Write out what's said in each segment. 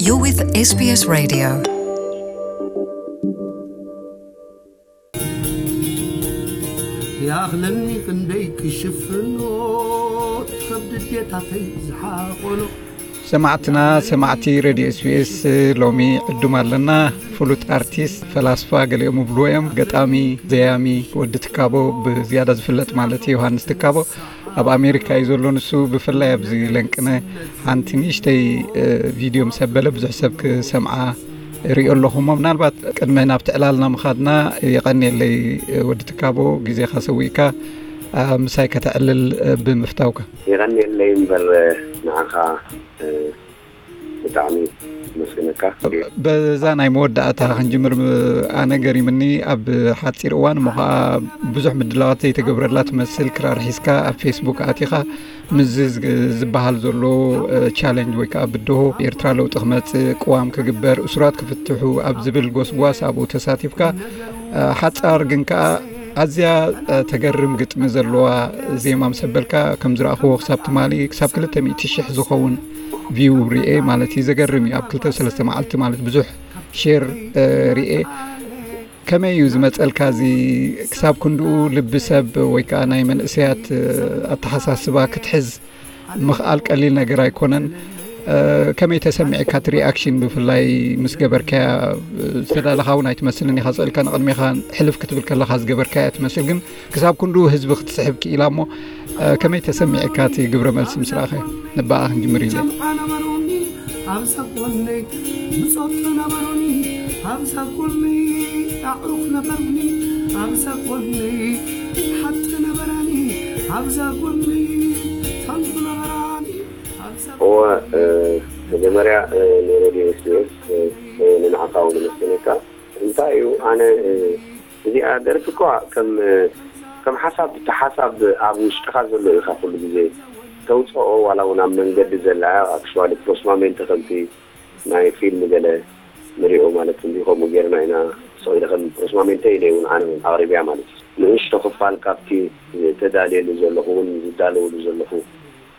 You're with S B S Radio. ይኣኽለኒ ክንደይ ክሽፍኖ ከብዲ ዴታተይ ዝሓቆኖ። ሰማዕትና ሰማዕቲ ሬድዮ ኤስቢኤስ፣ ሎሚ ዕዱም ኣለና። ፍሉጥ ኣርቲስት፣ ፈላስፋ ገሊኦም ይብልዎ እዮም፣ ገጣሚ፣ ዘያሚ፣ ወዲ ትካቦ፣ ብዝያዳ ዝፍለጥ ማለት እዩ፣ ዮሃንስ ትካቦ። ኣብ ኣሜሪካ እዩ ዘሎ ንሱ። ብፍላይ ኣብዚ ለንቅነ ሓንቲ ንእሽተይ ቪድዮ ምስ ኣበለ ብዙሕ ሰብ ክሰምዓ ሪኦ ኣለኹ እሞ፣ ምናልባት ቅድሚ ናብቲ ዕላልና ምኻድና፣ የቐንየለይ ወዲ ትካቦ፣ ግዜኻ ሰዊእካ ምሳይ ከተዕልል ብምፍታውካ። የቐንየለይ እምበር፣ ንዓኻ ብጣዕሚ መስግነካ። በዛ ናይ መወዳእታ ክንጅምር፣ ኣነ ገሪምኒ፣ ኣብ ሓፂር እዋን እሞ ከዓ ብዙሕ ምድላዋት ዘይተገብረላ ትመስል ክራር ሒዝካ ኣብ ፌስቡክ ኣቲኻ ምስዚ ዝበሃል ዘሎ ቻለንጅ ወይ ከዓ ብድሆ ኤርትራ ለውጢ ክመፅእ፣ ቅዋም ክግበር፣ እሱራት ክፍትሑ ኣብ ዝብል ጎስጓስ ኣብኡ ተሳቲፍካ። ሓፃር ግን ከዓ ኣዝያ ተገርም ግጥሚ ዘለዋ ዜማ ምስ ኣበልካ፣ ከም ዝረኣኽዎ ክሳብ ትማሊ ክሳብ ክልተ ሚእቲ ሽሕ ዝኸውን ቪው ርኤ ማለት እዩ። ዘገርም እዩ። ኣብ ክልተ ሰለስተ መዓልቲ ማለት ብዙሕ ሼር ርኤ። ከመይ እዩ ዝመፀልካ እዚ? ክሳብ ክንድኡ ልቢ ሰብ ወይ ከዓ ናይ መንእሰያት ኣተሓሳስባ ክትሕዝ ምኽኣል ቀሊል ነገር ኣይኮነን። ከመይ ተሰሚዕካ እቲ ሪኣክሽን? ብፍላይ ምስ ገበርካያ፣ ዝተዳለኻ እውን ኣይትመስልን ኢኻ። ስእልካ ንቕድሜኻ ሕልፍ ክትብል ከለኻ ዝገበርካያ ትመስል፣ ግን ክሳብ ክንድኡ ህዝቢ ክትስሕብ ክኢላ እሞ፣ ከመይ ተሰሚዕካ እቲ ግብረ መልሲ ምስ ረኣኸ? ንባኣ ክንጅምር ኢለ። ጨምዓ ነበሩኒ ኣብዛ ጎነይ፣ ምጾት ነበሩኒ ኣብዛ ጎነይ፣ ኣዕሩኽ ነበሩኒ ኣብዛ ጎነይ፣ ሓቂ ነበራኒ ኣብዛ ጎነይ፣ ታንኩ ነበራኒ ኣብዛ እወ፣ እ፣ መጀመርያ፣ እ፣ ንሬድዮ ኤስቢኤስ፣ እ፣ እ፣ ንንዓኻ እውን ነመስግነካ። እንታይ እዩ፣ ኣነ፣ እ፣ እዚኣ ደርፊ እኳ ከም፣ እ፣ ከም ሓሳብ፣ እቲ ሓሳብ ኣብ ውሽጥኻ ዘሎ ኢኻ ኩሉ ግዜ ተውፅኦ፣ ዋላ እውን ኣብ መንገዲ ዘላ፣ ኣክሽዋሊ ፕሮስማሜንተ ከምቲ ናይ ፊልም ገለ ንሪኦ ማለት እንዲ ከምኡ ጌርና ኢና። ስቕ ኢለ ከም ፕሮስማሜንተ ኢለ እውን ኣነ እውን ኣቕሪብያ ማለት እዩ። ንእሽቶ ክፋል ካብቲ ተዳልየሉ ዘለኹ እውን ዝዳለውሉ ዘለኹ፣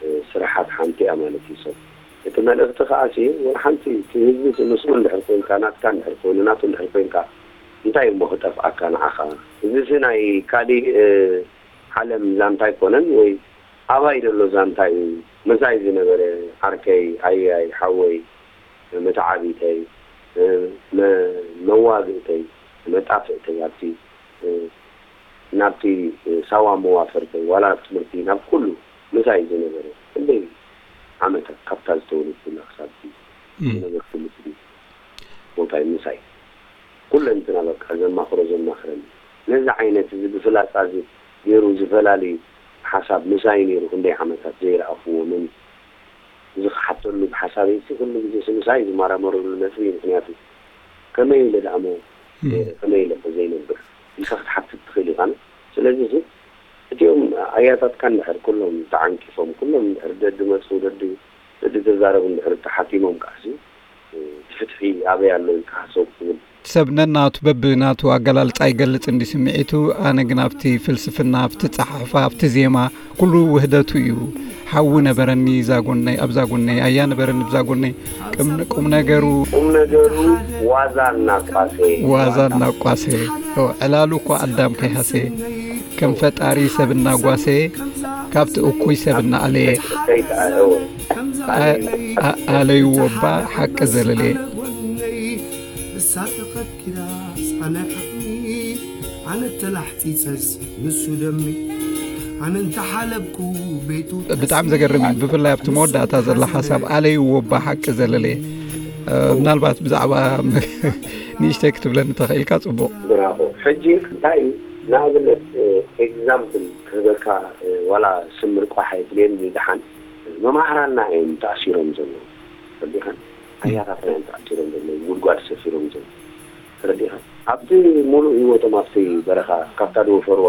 እ፣ ስራሓት ሓንቲ እያ ማለት እዩ። ሰብ እቲ መልእኽቲ ከኣ ሲ ወላ ሓንቲ እቲ ህዝቢ ሲ ምስኡ እንድሕር ኮንካ፣ ናትካ እንድሕር ኮይኑ፣ ናቱ እንድሕር ኮንካ፣ እንታይ እሞ ክጠፍኣካ ንዓኻ? እዚ ሲ ናይ ካሊእ፣ እ፣ ዓለም ዛንታ ኣይኮነን ወይ ኣባይ ዘሎ ዛንታ እዩ። መሳይ ዝነበረ ዓርከይ፣ ኣያይ፣ ሓወይ፣ መተዓቢተይ፣ መ-፣ መዋግእተይ፣ መጣፍእተይ ኣብቲ፣ ናብቲ ሳዋ መዋፈርተይ፣ ዋላ ኣብ ትምህርቲ፣ ናብ ኩሉ ምሳይ ዝነበረ ክንደይ ዓመታት ካብታ ዝተወለድኩላ ክሳብ እቲ ዝነበርኩሉ እቲ ቦታይ ምሳይ ኩለንትና በቃ ዘማኽሮ ዘማኽረኒ። ነዚ ዓይነት እዚ ብፍላጻ እዚ ገይሩ ዝፈላሊ ሓሳብ ምሳይ ነይሩ ክንደይ ዓመታት ዘይረኣኽዎ መን እዚ ክሓተሉ ብሓሳበይ እቲ ኩሉ ግዜ ሲ ምሳይ ዝመራመረሉ ነጥቢ እዩ። ምኽንያቱ ከመይ ኢለ ደኣ እሞ እም። ነይረ፣ ከመይ ኢለ እሞ ዘይነብር ኢልካ ክትሓትት ትኽእል ኢኻ። ስለዚ እዚ እቲኦም ኣያታትካ እንድሕር ኩሎም ተዓንቂፎም፣ ኩሎም እንድሕር ደዲ መፁ፣ ደዲ ደዲ ተዛረቡ እንድሕር ተሓቲሞም ከዓሲ እቲ ፍትሒ ኣበይ ኣሎ ኢልካ ሓሰብ ትብል። ሰብ ነናቱ በብናቱ ኣገላልጻ ይገልጽ እንዲ ስምዒቱ፣ ኣነ ግን ኣብቲ ፍልስፍና፣ ኣብቲ ጸሓሕፋ፣ ኣብቲ ዜማ፣ ኩሉ ውህደቱ እዩ። ሓዊ ነበረኒ እዛ ጎነይ፣ ኣብዛ ጎነይ፣ ኣያ ነበረኒ ብዛ ጎነይ። ቅም-፣ ቁም ነገሩ ቁም ነገሩ ዋዛ እናቋሰየ። ዋዛ እናቋሰየ። ኦ፣ ዕላሉ እኳ ኣዳም ከይሃሰየ። ከም ፈጣሪ ሰብ እናጓሰየ፣ ካብቲ እኩይ ሰብ እናኣለየ። ከይተኣለወ። ኣ-፣ ኣ-፣ ኣለይዎ እባ ሓቂ ዘለለየ። እሳ ተኸትኪላ ጻነ ዓቕሚ፣ ኣነ ተላሕጺጸስ ንሱ ደሚ፣ ኣነ እንተሓለብኩ ቤቱ ብጣዕሚ ዘገርም እዩ። ብፍላይ ኣብቲ መወዳእታ ዘላ ሓሳብ ኣለይዎ እባ ሓቂ ዘለለየ። እ፣ ምናልባት ብዛዕባ ንእሽተይ ክትብለኒ ተኽኢልካ ጽቡቕ። ብራቮ። ሕጂ እንታይ እዩ፣ ንኣብነት፣ እ፣ ኤግዛምፕል ክህበካ፣ እ፣ ዋላ ስም ምርቋሕ ኣይድልየኒ፣ ደሓን መማህራንና እዮም ተኣሲሮም ዘለዉ። ተረዲእካ? ኣያታትና እዮም ተኣሲሮም ዘለዉ፣ ጉድጓድ ሰፊሮም ዘለዉ። ተረዲእካ? ኣብቲ ሙሉእ ህይወቶም ኣብቲ በረኻ፣ ካብታ ዝወፈርዋ፣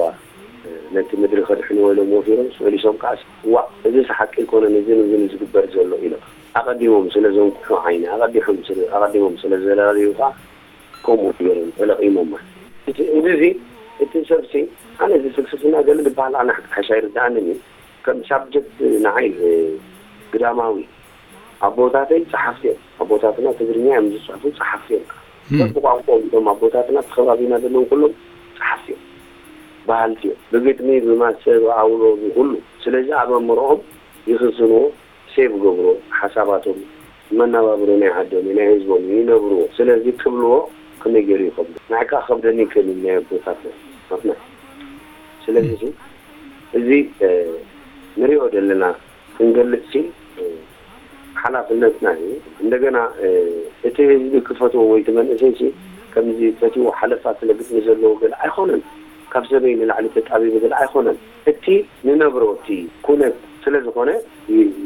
እ፣ ነቲ ምድሪ ከድሕንዎ ኢሎም ወፊሮም፣ ፈሊሶም ከዓስ፣ ዋእ፣ እዚስ ሓቂ ኣይኮነን፣ እዝን እዝን ዝግበር ዘሎ ኢሎም ኣቐዲሞም ስለ ዘንኩሑ ዓይኒ፣ ኣቐዲሖም ስለ፣ ኣቐዲሞም ስለ ዘላለዩ ከኣ፣ ከምኡ ገይሮም ተለቒሞማ። እቲ፣ እዚ፣ እዚ፣ እቲ ሰብሲ፣ ኣነ እዚ ፍልስፍና ገለ ዝበሃል ኣነ ሓሻ ይርድኣንን እዩ። ከም ሳብጀክት ንዓይ፣ እ፣ ግዳማዊ ኣቦታተይ ጸሓፍቲ እዮም። ኣቦታትና ትግርኛ እዮም ዝጽሕፉ፣ ጸሓፍቲ እዮም። ሰብ ብቋንቋኦም እቶም ኣቦታትና፣ እቲ ከባቢና ዘለዉ ኩሎም ጸሓፍቲ እዮም፣ በሃልቲ እዮም። ብግጥሚ፣ ብማሰ፣ ብኣውሎ፣ ብኹሉ። ስለዚ ኣብ ኣእምሮኦም ይኽዝንዎ፣ ሴቭ ገብርዎ፣ ሓሳባቶም፣ መነባብሮ ናይ ዓዶም፣ ናይ ህዝቦም ይነብርዎ። ስለዚ ክብልዎ ከመይ ገይሩ ይኸብዶ? ንዓይ ከኣ ከብደኒ ይክእል እዩ ናይ ኣቦታትና ናትና። ስለዚ እዚ ንሪኦ ዘለና ክንገልጽ ሲ ሓላፍነትና እዩ። እንደገና እቲ ህዝቢ ክፈትዎ ወይ እቲ መንእሰይ ሲ ከምዚ ፈትዎ ሓለፋ ስለ ግጥሚ ዘለዎ ገለ ኣይኮነን። ካብ ሰበይ ንላዕሊ ተጣቢቡ ገለ ኣይኮነን። እቲ ንነብሮ እቲ ኩነት ስለ ዝኾነ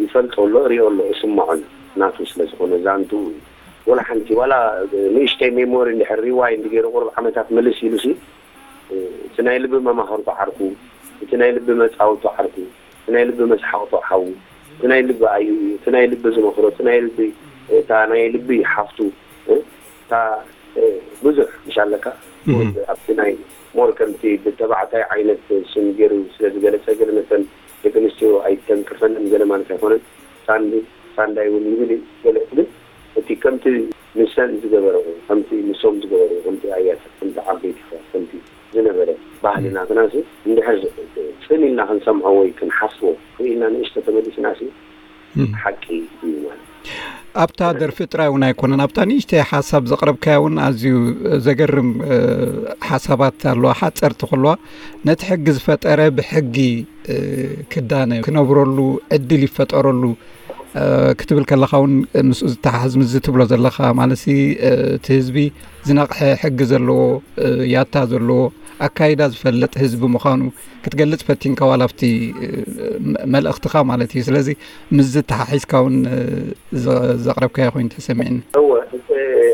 ይፈልጦ ኣሎ፣ ሪኦ ኣሎ፣ እስምዖ ኣሎ። ናቱ ስለ ዝኾነ ዛንቱ ወላ ሓንቲ ዋላ ንእሽተይ ሜሞሪ እንድሕር ሪዋይንድ ገይሩ ቁሩብ ዓመታት ምልስ ኢሉ ሲ እቲ ናይ ልቢ መማኽርቱ ዓርኩ፣ እቲ ናይ ልቢ መጻወቱ ዓርኩ፣ እቲ ናይ ልቢ መስሓቕቱ ሓዉ፣ እቲ ናይ ልቢ ኣዩ እዩ፣ እቲ ናይ ልቢ ዝመኽሮ፣ እቲ ናይ ልቢ እታ ናይ ልቢ ሓፍቱ እታ ብዙሕ ምሽ ኣለካ ኣብቲ ናይ ሞር ከምቲ ብተባዕታይ ዓይነት ስም ገይሩ ስለ ዝገለጸ ገለ መተን ደቂ ኣንስትዮ ኣይተንቅፈንን ገለ ማለት ኣይኮነን። ሳንዲ ሳንዳይ እውን ይብል እዩ ገለ ግን እቲ ከምቲ ንሰን ዝገበረዎ ከምቲ ንሶም ዝገበረዎ ከምቲ ኣያት ከምቲ ዓበይቲ ከምቲ ዝነበረ ባህሊ ናትና ሲ እንድሕር ጽን ኢልና ክንሰምዖ ወይ ክንሓስቦ ክኢልና ንእሽቶ ተመሊስና ሲ ሓቂ እዩ ማለት። ኣብታ ደርፊ ጥራይ እውን ኣይኮነን፣ ኣብታ ንእሽተይ ሓሳብ ዘቕረብካያ እውን ኣዝዩ ዘገርም ሓሳባት ኣለዋ። ሓፀርቲ ከለዋ ነቲ ሕጊ ዝፈጠረ ብሕጊ ክዳነ ክነብረሉ ዕድል ይፈጠረሉ ክትብል ከለኻ እውን ምስኡ ዝተሓዝ ምዚ ትብሎ ዘለኻ ማለት እቲ ህዝቢ ዝነቕሐ ሕጊ ዘለዎ ያታ ዘለዎ ኣካይዳ ዝፈልጥ ህዝቢ ምዃኑ ክትገልጽ ፈቲንካ ዋላ ኣብቲ መልእኽትኻ ማለት እዩ። ስለዚ ምስ ዝተሓሒዝካ እውን ዘቕረብካዮ ኮይኑ ተሰሚዕኒ። እወ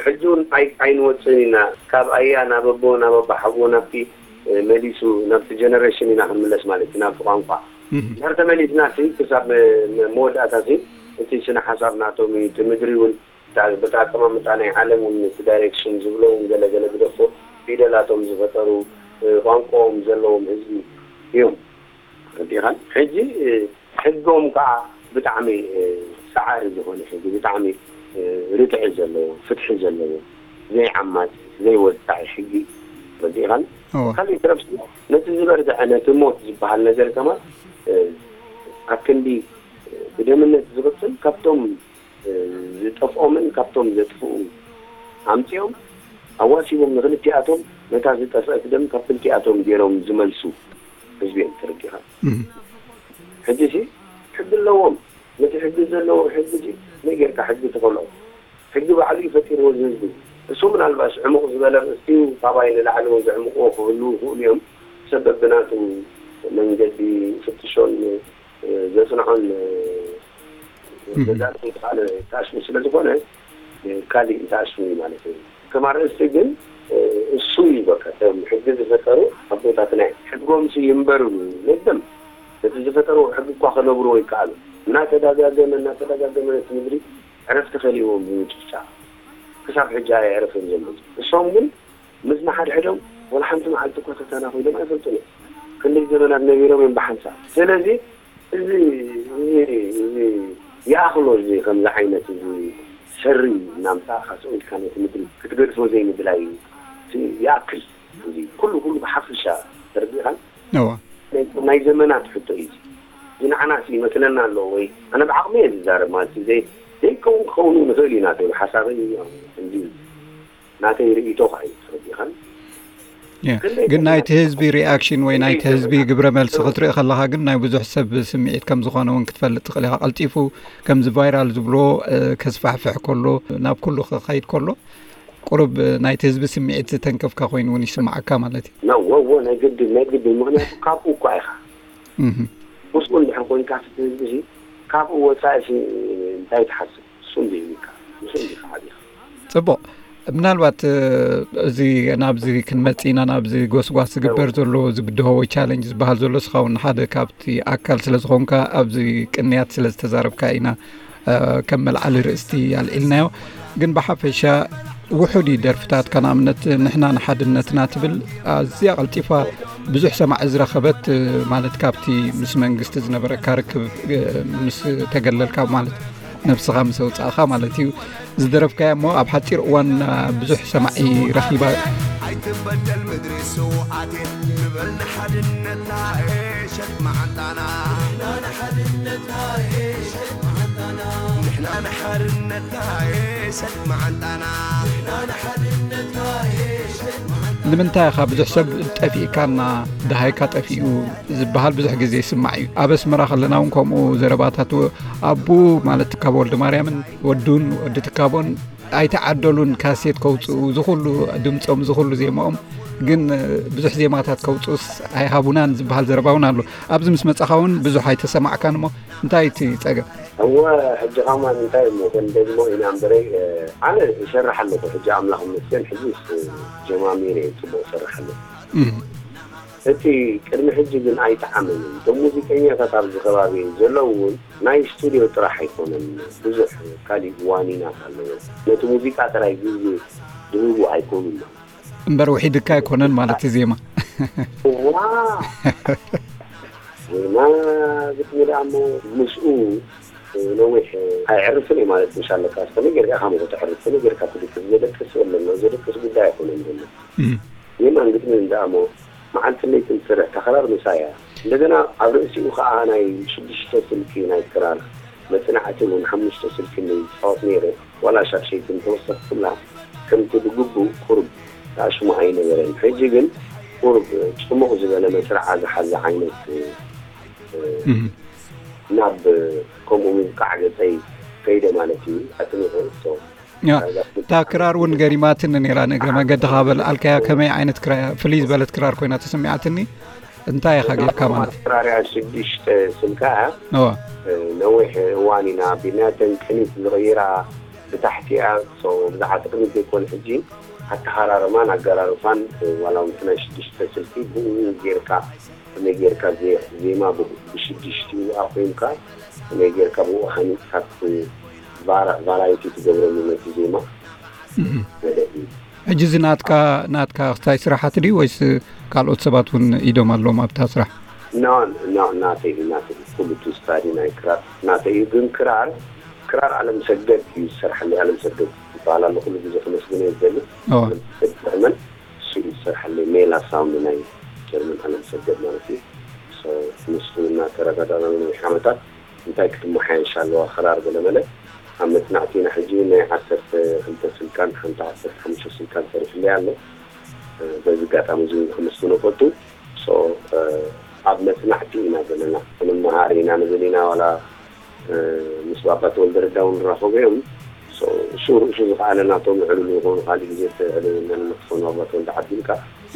ሕጂ እውን ኣይንወፅን ኢና ካብ ኣያ ናብ ኣቦ ናብ ኣባሓጎ ናብቲ መሊሱ ናብቲ ጀነሬሽን ኢና ክንምለስ ማለት እዩ ናብቲ ቋንቋ ድሕር ተመሊስና ሲ ክሳብ መወዳእታ ሲ እቲ ስነ ሓሳብ ናቶም እዩ እቲ ምድሪ እውን በታ ኣቀማምጣ ናይ ዓለም እውን እቲ ዳይሬክሽን ዝብሎ እውን ገለገለ ግደፎ ፊደላቶም ዝፈጠሩ ቋንቋኦም ዘለዎም ህዝቢ እዮም። ረዲኻን ሕጂ ሕጎም ከዓ ብጣዕሚ ሰዓሪ ዝኾነ ሕጊ ብጣዕሚ ርትዒ ዘለዎ ፍትሒ ዘለዎ ዘይዓማፅ ዘይወፃኢ ሕጊ ረዲኻን ካልእ ትረፍ ነቲ ዝበርትዐ ነቲ ሞት ዝበሃል ነገር ከማ ኣክንዲ ብደምነት ዝቕፅል ካብቶም ዝጠፍኦምን ካብቶም ዘጥፍኡ ኣምፂኦም ኣዋሲቦም ንክልቲኣቶም ነታ ዝጠፍአት ደም ካብ ክልቲኣቶም ገይሮም ዝመልሱ ህዝቢ እዮም ተረዲኻ። ሕጂ ሲ ሕጊ ኣለዎም። ነቲ ሕጊ ዘለዎ ሕጊ ሲ መይ ጌርካ ሕጊ ትኸልኦ? ሕጊ ባዕሉ እዩ ፈጢርዎ ዝህዝቢ። እሱ ምናልባሽ ዕሙቕ ዝበለ ርእስቲ እዩ ካባይ ንላዕሊ እውን ዘዕምቕዎ ክህልዉ ይኽእሉ እዮም። ሰብ በብናቱ መንገዲ ፍትሾን ዘጽንዖን ገዛእቲ ተኣሽሙ ስለ ዝኾነ ካሊእ ተኣሽሙ እዩ ማለት እዩ። ከም ኣርእስቲ ግን እሱ እዩ በቃ ከም ሕጊ ዝፈጠሩ ኣቦታትና እዮም። ሕጎምሲ ይንበርሉ ነደም ነቲ ዝፈጠርዎ ሕጊ እኳ ከነብርዎ ይከኣሉ። እናተዳጋገመ እናተዳጋገመ ነቲ ምድሪ ዕረፍቲ ከሊዎም ብምጭፍጫፍ ክሳብ ሕጂ ኣየዕረፈን ዘሎ። እሶም ግን ምስ ንሓድሕዶም ወላ ሓንቲ መዓልቲ እኳ ተተናኺሎም ኣይፈልጡን እዮም። ክንደይ ዘመናት ነቢሮም እዮም ብሓንሳብ። ስለዚ እዚ እዚ እዚ ይኣኽሎ እዚ ከምዚ ዓይነት እዚ ሰሪ እናምፃእኻ ስቕ ኢልካ ነቲ ምድሪ ክትገድፎ ዘይምድላይ ይኣክል። እዚ ኩሉ ኩሉ ብሓፈሻ ተረዲእኻን እዋ ናይ ዘመናት ሕቶ እዩ። እዚ ንዓናስ ይመስለና ኣሎ ወይ ኣነ ብዓቕሚ እየ ዝዛረብ ማለት እዩ። ዘይ ዘይከውን ክኸውን ንኽእል ኢና ተይሉ ሓሳበይ እዩ። እንዲ ናተይ ርእይቶ ከዓ እዩ ተረዲእኻን። ያ፣ ክንደይ ግን ናይቲ ህዝቢ ሪኣክሽን ወይ ናይቲ ህዝቢ ግብረ መልሲ ክትርኢ ከለኻ ግን ናይ ብዙሕ ሰብ ስምዒት ከም ዝኾነ እውን ክትፈልጥ ትኽእል ኢኻ። ቀልጢፉ ከምዚ ቫይራል ዝብሎ እ፣ ከስፋሕፍሕ ከሎ ናብ ኩሉ ክኸይድ ከሎ ቁሩብ ናይቲ ህዝቢ ስምዒት ዝተንከፍካ ኮይኑ እውን ይስምዓካ ማለት እዩ። ነዎ እዎ ናይ ግድን ናይ ግድን ምክንያቱ ካብኡ እኳ ኢኻ እህ ምስኡ እንድሕር ኮይንካ እቲ ህዝቢ ሲ ካብኡ ወፃኢ ሲ እንታይ ትሓስብ? እሱ እንዲህልካ ምስ እንዲኻ ዓቢኻ። ጽቡቕ። ምናልባት እ፣ እዚ ናብዚ ክንመጽእ ኢና ናብዚ ጎስጓስ ዝግበር ዘሎ ዝብድሆ ወይ ቻለንጅ ዝበሃል ዘሎ እስኻ እውን ሓደ ካብቲ ኣካል ስለ ዝኾንካ ኣብዚ ቅንያት ስለ ዝተዛረብካ ኢና እ፣ ከም መልዓሊ ርእስቲ ኣልዒልናዮ። ግን ብሓፈሻ ውሑድ እዩ ደርፍታትካ ንኣብነት ንሕና ንሓድነትና ትብል ኣዝያ ቀልጢፋ ብዙሕ ሰማዒ ዝረኸበት እ፣ ማለት ካብቲ ምስ መንግስቲ ዝነበረካ ርክብ እ፣ ምስ ተገለልካ ማለት ነብስኻ ምስ ኣውጻእኻ ማለት እዩ። ዝደረፍካያ እሞ ኣብ ሓጺር እዋን ብዙሕ ሰማዒ ረኺባ። ኣይትበደል ምድሪ ስውኣቴ፣ ንበል ንሓድነትና ሸጥ መዓንጣና። ንሕና ንሓድነትና ሸጥ መዓንጣና። ንሕና ንሓድነትና ሸጥ መዓንጣና። ንሕና ንሓድነትና ሸጥ መዓንጣና። ንምንታይ ኢኻ ብዙሕ ሰብ ጠፊእካና፣ ደሃይካ ጠፊኡ ዝበሃል ብዙሕ ግዜ ይስማዕ እዩ። ኣብ ኣስመራ ከለና እውን ከምኡ ዘረባታት፣ ኣቡ ማለት ትካቦ ወልደ ማርያምን ወዱን ወዲ ትካቦን ኣይተዓደሉን ካሴት ከውፅኡ፣ ዝኹሉ ድምፆም፣ ዝኹሉ ዜማኦም፣ ግን ብዙሕ ዜማታት ከውፅኡስ ኣይሃቡናን ዝበሃል ዘረባ እውን ኣሎ። ኣብዚ ምስ መፃኻ እውን ብዙሕ ኣይተሰማዕካን እሞ እንታይ እቲ ፀገም? እወ፣ ሕጂ ኸማን እንታይ እሞ ክንደግሞ ኢና እምበረይ፣ ኣነ ይሰርሕ ኣለኹ። ሕጂ ኣምላኽ ይመስገን፣ ሕጂ ጀማሚረ እየ፣ ጽቡቕ እሰርሕ ኣለኹ። እም። እቲ ቅድሚ ሕጂ ግን ኣይጠዓመንን። እቶም ሙዚቀኛታት ኣብዚ ከባቢ ዘለዉ እውን ናይ ስቱድዮ ጥራሕ ኣይኮነን፣ ብዙሕ ካሊእ ዋኒናት ኣለዎ። ነቲ ሙዚቃ ጥራይ ግዜ ዝህቡ ኣይኮኑን ማለት። እምበር ውሒድካ ኣይኮነን ማለት እዩ ዜማ። እዋ! ዜማ ግጥሚ ደኣ እሞ ምስኡ ነዊሕ ኣይዕርፍን እዩ ማለት ምሽ ኣለካ። ከመይ ጌርካ ኢኻ እሞ ከተዕርፍ? ከመይ ጌርካ ትድቅስ? ዘደቅስ የለን፣ ዘደቅስ ጉዳይ ኣይኮነን ዘሎ። እም። ዜማን ግጥምን ደኣ እሞ መዓልትን ለይትን ትሰርሕ እታ ክራር ምሳይ እያ። እንደገና ኣብ ርእሲኡ ከኣ ናይ ሽዱሽተ ስልኪ ናይ ክራር መጽናዕቲ እውን ሓሙሽተ ስልኪ እየ ዝጻወት ነይረ። ዋላ ሻድሸይቲ እንተወሰኽኩላ ከምቲ ብግቡእ ቁሩብ ተኣሽሙ ኣይነበረን። ሕጂ ግን ቁሩብ ጽሙቕ ዝበለ መስርዓ ዝሓዘ ዓይነት፣ እ፣ እም። ናብ ከምኡ ምብቃዕ ገጸይ ከይደ ማለት እዩ። ኣጽኒዑ፣ ሶ፣ ያ፣ እታ ክራር እውን ገሪማትኒ ነይራ፣ ንእግረ መንገድኻ በል ኣልካያ፣ ከመይ ዓይነት ክራር እያ? ፍልይ ዝበለት ክራር ኮይና ተሰሚዓትኒ። እንታይ ኢኻ ጌርካ ማለት? ክራር እያ፣ ሽዱሽተ ስልካ እያ። እዋ። እ፣ ነዊሕ እዋን ኢና ኣቢልናያ፣ እተን ቅኒት ዝቕይራ ብታሕቲ እያ። ሶ፣ ብዛዕባ ቅኒት ዘይኮነ ሕጂ ኣተሃራርማን ኣገራርፋን፣ እ፣ ዋላ እውን እቲ ናይ ሽዱሽተ ስልኪ ብኡ ጌርካ ከመይ ጌርካ ዜ-፣ ዜማ ብ-፣ ብሽዱሽቲኡ ኣቑምካ፣ ከመይ ጌርካ ብኡ ሃኒጽካ ት-፣ ቫራ-፣ ቫራይቲ ትገብረሉ ነቲ ዜማ እህ። ገለ እዩ። ሕጂ እዚ ናትካ፣ ናትካ ክስታይ ስራሓት ድዩ ወይስ ካልኦት ሰባት እውን ኢዶም ኣለዎም ኣብታ ስራሕ? ኖ፣ ኖ፣ ናተይ እዩ፣ ናተይ እዩ። ኩሉ እቲ ስታዲ ናይ ክራር ናተይ እዩ። ግን ክራር፣ ክራር ኣለም ሰገድ እዩ ዝሰርሓለይ። ኣለም ሰገድ ይበሃል ኣሎ፣ ኩሉ ግዜ ከመስግኖ ይደሊ። እዋ። ኣለም ሰገድ ጀርመን፣ እሱ እዩ ዝሰርሓለይ። ሜላ ሳውንድ ናይ ጀርመን ኣለም ሰገድ ማለት እዩ። ሶ፣ ምስኡ እናተረዳዳእና ንነዊሕ ዓመታት እንታይ ክትመሓየሽ ኣለዋ ክራር ገለመለ። ኣብ መጽናዕቲ ኢና ሕጂ ናይ ዓሰርተ ክልተ ስልካን ሓንቲ ዓሰርተ ሓሙሽተ ስልካን ሰሪሕለይ ኣሎ። በዚ ኣጋጣሚ እዚ እውን ከመስግኖ እፈቱ። ሶ፣ ኣብ መጽናዕቲ ኢና ዘለና። ክንመሃር ኢና ንብል ኢና፣ ዋላ፣ እ፣ ምስ ባባ ተወልደ ረዳ እውን ንራኸቦ እዮም። ሶ፣ እሱ ርእሱ ዝኸኣለ ናቶም ዕሉል ዝኾኑ፣ ካልእ ግዜ ተዕልልና ንመክፈኑ ባባ ተወልደ ዓዲምካ።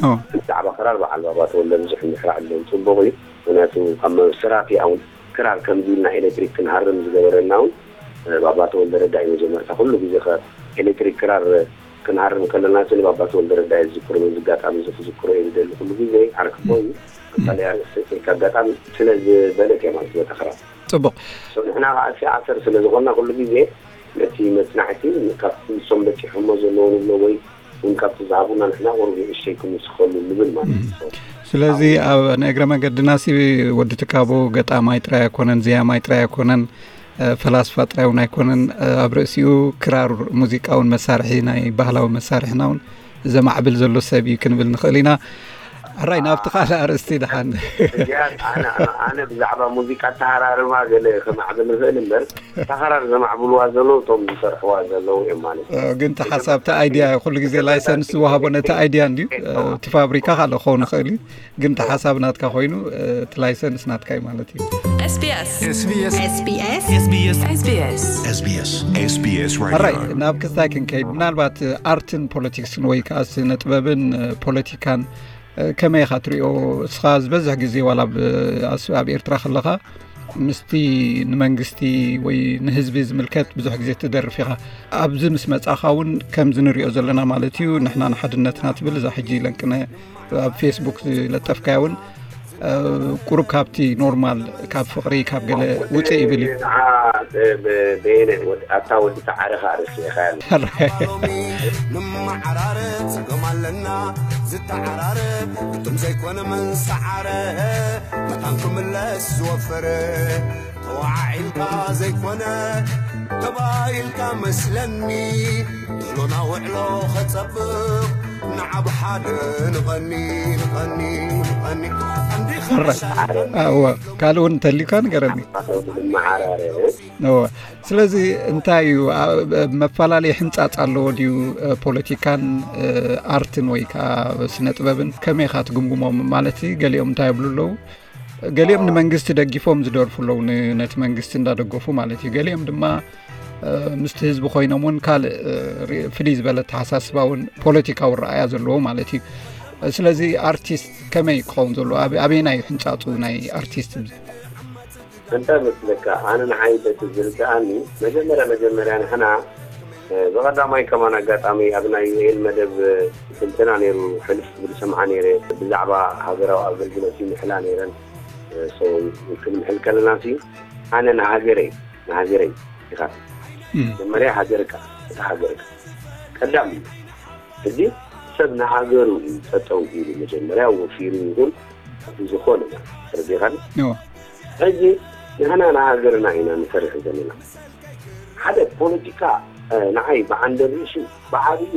ኦ። ብዛዕባ ክራር በዓል ባባ ተወልደ ብዙሕ እንድሕር ዓዲሎም ጽቡቕ እዩ። ምኽንያቱ ካብ መ-፣ ሰራፊ እውን ክራር ከምዚ ኢልና ኤሌክትሪክ ክንሃርም ዝገበረና እውን፣ እ፣ ባባ ተወልደ ረዳ እዩ መጀመርታ። ኩሉ ግዜ ከ ኤሌክትሪክ ክራር ክንሃርም ከለና፣ እቲ ንባባ ተወልደ ረዳ እዩ ዝዝክሮ። በዚ ኣጋጣሚ እዚ ክዝክሮ እየ ዝደሊ። ኩሉ ግዜ ዓርክቦ እዩ። ኣብ ካልእ ኣርእስቲ ከይካ ኣጋጣሚ ስለ ዝበለት እያ ማለት በታ ክራር። ጽቡቕ። ሶ ንሕና ከኣ እስኪ ኣሰር ስለ ዝኾንና ኩሉ ግዜ ነቲ መጽናዕቲ ካብቲ ንሶም በጺሖሞ ዘለዉ ንብሎ ወይ እውን ካብቲ ዝሃቡና ንሕና ቁሩብ ንእሽተይ ክንውስኸሉ ንብል ማለት እዩ። ሶ ስለዚ ኣብ ኣብ ናይ እግረ መገድና ሲ ወዲ ትካቦ ገጣማይ ጥራይ ኣይኮነን፣ ዘያማይ ጥራይ ኣይኮነን፣ እ፣ ፈላስፋ ጥራይ እውን ኣይኮነን። እ፣ ኣብ ርእሲኡ ክራር ሙዚቃ እውን መሳርሒ ናይ ባህላዊ መሳርሕና እውን ዘማዕብል ዘሎ ሰብ እዩ ክንብል ንኽእል ኢና። ሕራይ፣ ናብቲ ካልእ ኣርእስቲ ደሓን። እዚኣ ኣነ፣ ኣነ፣ ኣነ ብዛዕባ ሙዚቃ ኣተሃራርማ ገለ ከማዕብል ንኽእል እምበር፣ እታ ክራር ዘማዕብልዋ ዘለዉ እቶም ዝሰርሕዋ ዘለዉ እዮም ማለት እዩ። እ፣ ግን እቲ ሓሳብ፣ እቲ ኣይድያ፣ ኩሉ ግዜ ላይሰንስ ዝወሃቦ ነቲ ኣይድያ እንድዩ። እ፣ እቲ ፋብሪካ ካልእ ክኸውን ይኽእል እዩ፣ ግን እቲ ሓሳብ ናትካ ኮይኑ፣ እ፣ እቲ ላይሰንስ ናትካ እዩ ማለት እዩ። SBS SBS SBS SBS SBS SBS ሕራይ፣ Radio ናብ ክስታይ ክንከይድ፣ ምናልባት፣ እ፣ ኣርትን ፖለቲክስን ወይ ከኣ ስነ ጥበብን፣ እ፣ ፖለቲካን፣ እ፣ ከመይ ኢኻ ትሪኦ? እስኻ ዝበዝሕ ግዜ ዋላ ኣብ፣ ኣስ-፣ ኣብ ኤርትራ ከለኻ ምስቲ ንመንግስቲ ወይ ንህዝቢ ዝምልከት ብዙሕ ግዜ ትደርፍ ኢኻ። ኣብዚ ምስ መጻኻ እውን ከምዚ ንሪኦ ዘለና ማለት እዩ፣ ንሕና ንሓድነትና ትብል እዛ ሕጂ ለንቅነ ኣብ ፌስቡክ ዝለጠፍካያ እውን፣ እ፣ ቁሩብ ካብቲ ኖርማል፣ ካብ ፍቕሪ፣ ካብ ገለ ውፅእ ይብል እዩ። ንዓ፣ ብ-፣ ብ-፣ በየነ ወድ-፣ ኣታ ወዲ ተዓረ ከኣ ረሲዕኻ ያለ። ሎሚ ንመዓራረብ ጸገም ኣለና፣ ዝተዓራረ እቶም ዘይኮነ መን ሰዓረ፣ መታን ክምለስ ዝወፈረ፣ ተወዓዒልካ ዘይኮነ ተባይልካ መስለኒ ሎና ውዕሎ ኸጸብቕ ንዓብ ሓደ ንቐኒ ንቐኒ ንቐኒ እወ ካልእ እውን እንተሊካ ንገረኒ። መዓራርያ እወ ስለዚ እንታይ እዩ መፈላለይ ሕንጻጽ ኣለዎ ድዩ? ፖለቲካን ኣርትን ወይ ከዓ ስነ ጥበብን ከመይ ኢኻ ትግምግሞም? ማለት ገሊኦም እንታይ ይብሉ ኣለዉ? ገሊኦም ንመንግስቲ ደጊፎም ዝደርፉ ኣለዉ፣ ነቲ መንግስቲ እንዳደገፉ ማለት እዩ። ገሊኦም ድማ ምስቲ ህዝቢ ኮይኖም እውን ካልእ ፍልይ ዝበለ ተሓሳስባ እውን ፖለቲካዊ ረኣያ ዘለዎ ማለት እዩ። ስለዚ ኣርቲስት ከመይ ክኸውን ዘለዎ ኣበየናይ ሕንፃፁ ናይ ኣርቲስት? እንታይ መስለካ፣ ኣነ ንዓይ በቲ ዝርድኣኒ መጀመርያ መጀመርያ ንሕና ብቐዳማይ ከማን ኣጋጣሚ ኣብ ናይ ዩኤል መደብ ትንተና ነይሩ ሕልፍ ዝብል ሰምዓ ነይረ። ብዛዕባ ሃገራዊ ኣገልግሎት ይምሕላ ነይረን። ክንምሕል ከለና ሲ ኣነ ንሃገረይ ንሃገረይ ኢኻ መጀመርያ ሃገርካ እቲ ሃገርካ ቀዳም እዩ። እዚ ሰብ ንሃገሩ እዩ ጠጠው ኢሉ መጀመርያ ወፊሩ ይኹን እቲ ዝኾነ ተረዲኻኒ። ሕጂ ንሕና ንሃገርና ኢና ንሰርሕ ዘለና። ሓደ ፖለቲካ ንዓይ ብዓንደ ርእሱ ብዓብዩ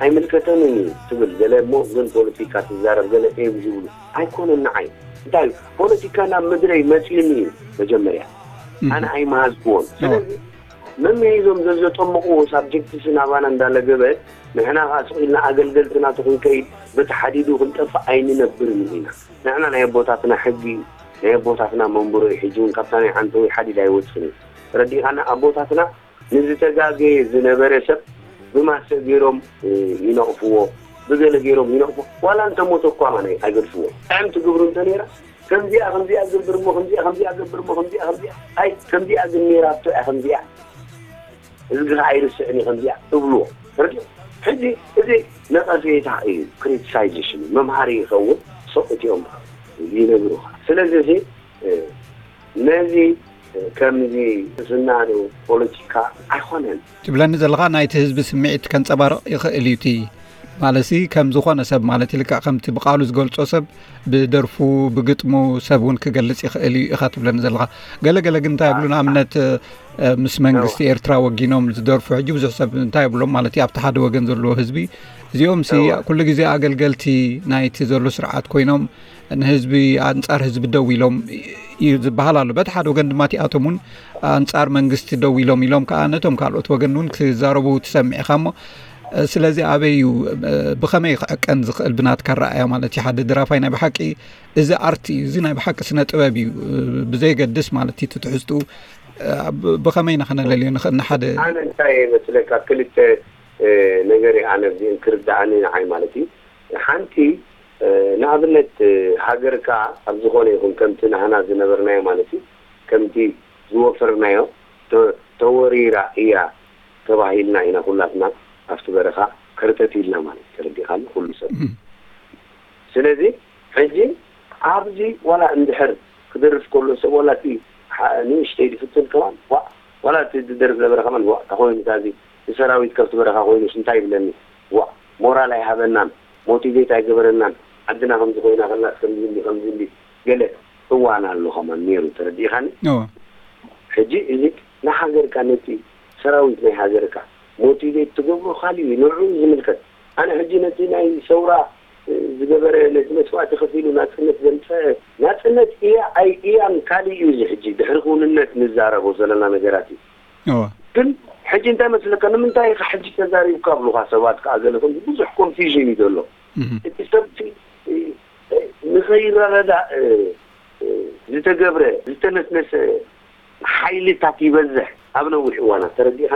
ኣይምልከተንን እዩ ትብል ገለ እሞ ግን ፖለቲካ ትዛረብ ገለ እዮም ዝብሉ ኣይኮነን። ንዓይ እንታይ ፖለቲካ ናብ ምድረይ መፅዩኒ እዩ መጀመርያ ኣነ ኣይመሃዝክዎን። ስለዚ መምሂዞም ዘዘጠምቕዎ ሳብጀክትስ ናባና እንዳለገበ ንሕና ከዓ ስቕ ኢልና ኣገልገልቲ ናቱ ክንከይድ በቲ ሓዲዱ ክንጠፍእ ኣይንነብርን ኢና። ንሕና ናይ ኣቦታትና ሕጊ ናይ ኣቦታትና መንብሮ እዩ። ሕጂ እውን ካብታ ናይ ዓንተወይ ሓዲድ ኣይወፅን እዩ። ተረዲእኻና? ኣቦታትና ንዝተጋገየ ዝነበረ ሰብ ብማሰ ገይሮም ይነቕፍዎ፣ ብገለ ገይሮም ይነቕፎ። ዋላ እንተሞተ እኳ ማነ ኣይገድፍዎ። ጥዕምቲ ግብሩ እንተነይራ ከምዚኣ ከምዚኣ ዝገብር እሞ ከምዚኣ ከምዚኣ ገብር እሞ ከምዚኣ ከምዚኣ ኣይ ከምዚኣ ግን ነይራቶ እያ ከምዚኣ እዝግኻ ኣይርስዕን እዩ ከምዚኣ እብልዎ። ተረዲኡ? ሕጂ እዚ ነቐፌታ እዩ፣ ክሪቲሳይዜሽን እዩ፣ መምሃሪ ይኸውን። ሰው እቲኦም ይነግሩኻ። ስለዚ እዚ ነዚ ከምዚ ዝናዶ ፖለቲካ ኣይኮነን። ትብለኒ ዘለኻ ናይቲ ህዝቢ ስምዒት ከንጸባርቕ ይኽእል እዩ እቲ ማለትሲ ከም ዝኾነ ሰብ ማለት ልክዕ ከምቲ ብቃሉ ዝገልጾ ሰብ ብደርፉ ብግጥሙ ሰብ እውን ክገልጽ ይኽእል እዩ ኢኻ ትብለኒ ዘለኻ። ገለገለ ግን እንታይ ይብሉ ንኣብነት ምስ መንግስቲ ኤርትራ ወጊኖም ዝደርፉ ሕጂ ብዙሕ ሰብ እንታይ ይብሎም ማለት እዩ ኣብቲ ሓደ ወገን ዘለዎ ህዝቢ እዚኦም ሲ ኩሉ ግዜ ኣገልገልቲ ናይቲ ዘሎ ስርዓት ኮይኖም ንህዝቢ ኣንጻር ህዝቢ ደው ኢሎም እዩ ዝበሃል ኣሎ። በቲ ሓደ ወገን ድማ እቲኣቶም እውን ኣንጻር መንግስቲ ደው ኢሎም ኢሎም ከዓ ነቶም ካልኦት ወገን እውን ክዛረቡ ትሰምዕ ኢኻ እሞ ስለዚ ኣበይ እዩ ብኸመይ ክዕቀን ዝኽእል ብናትካ ረኣያ ማለት እዩ ሓደ ድራፋይ ናይ ብሓቂ እዚ ኣርቲ እዩ እዚ ናይ ብሓቂ ስነ ጥበብ እዩ ብዘየገድስ ማለት እዩ ትትሕዝትኡ ብኸመይ ኢና ከነለልዮ ንኽእል ንሓደ ኣነ እንታይ መስለካ ክልተ ነገር ኣነ ክርዳኣኒ ንዓይ ማለት እዩ ሓንቲ ንኣብነት ሃገርካ ኣብ ዝኾነ ይኹን ከምቲ ናህና ዝነበርናዮ ማለት እዩ ከምቲ ዝወፈርናዮ ተወሪራ እያ ተባሂልና ኢና ኩላትና ኣብቲ በረኻ ከርተት ኢልና ማለት ተረዲኻኒ ኩሉ ሰብ ስለዚ ሕጂ ኣብዚ ዋላ እንድሕር ክደርፍ ከሎ ሰብ ዋላ እቲ ንእሽተይ ዝፍትን ከማን ዋላ እቲ ዝደርፍ ነበረ ከማን ዋ ተኮይኑ ታዚ ንሰራዊት ከብቲ በረኻ ኮይኑስ እንታይ ይብለኒ ዋ ሞራል ኣይሃበናን ሞቲቬት ኣይገበረናን ዓድና ከምዚ ኮይና ከላስ ከምዚ እንዲ ከምዚ እንዲ ገለ እዋን ኣሎ ከማን ነይሩ ተረዲእኻኒ ሕጂ እዚ ንሃገርካ ነቲ ሰራዊት ናይ ሃገርካ ሞቲቬት ትገብሮ ካሊእ እዩ ንዕኡ ዝምልከት ኣነ ሕጂ ነቲ ናይ ሰውራ ዝገበረ ነቲ መስዋእቲ ከፊሉ ናፅነት ዘምፀ ናፅነት እያ ኣይ እያን ካሊእ እዩ እዚ ሕጂ ድሕሪ ክውንነት ንዛረቦ ዘለና ነገራት እዩ ግን ሕጂ እንታይ መስለካ ንምንታይ ኢካ ሕጂ ተዛሪብካ ኣብሉካ ሰባት ከዓ ገለ ከም ብዙሕ ኮንፊዥን እዩ ዘሎ እቲ ሰብ ንኸይረዳእ ዝተገብረ ዝተነስነሰ ሓይልታት ይበዝሕ ኣብ ነዊሕ እዋናት ተረዲእካ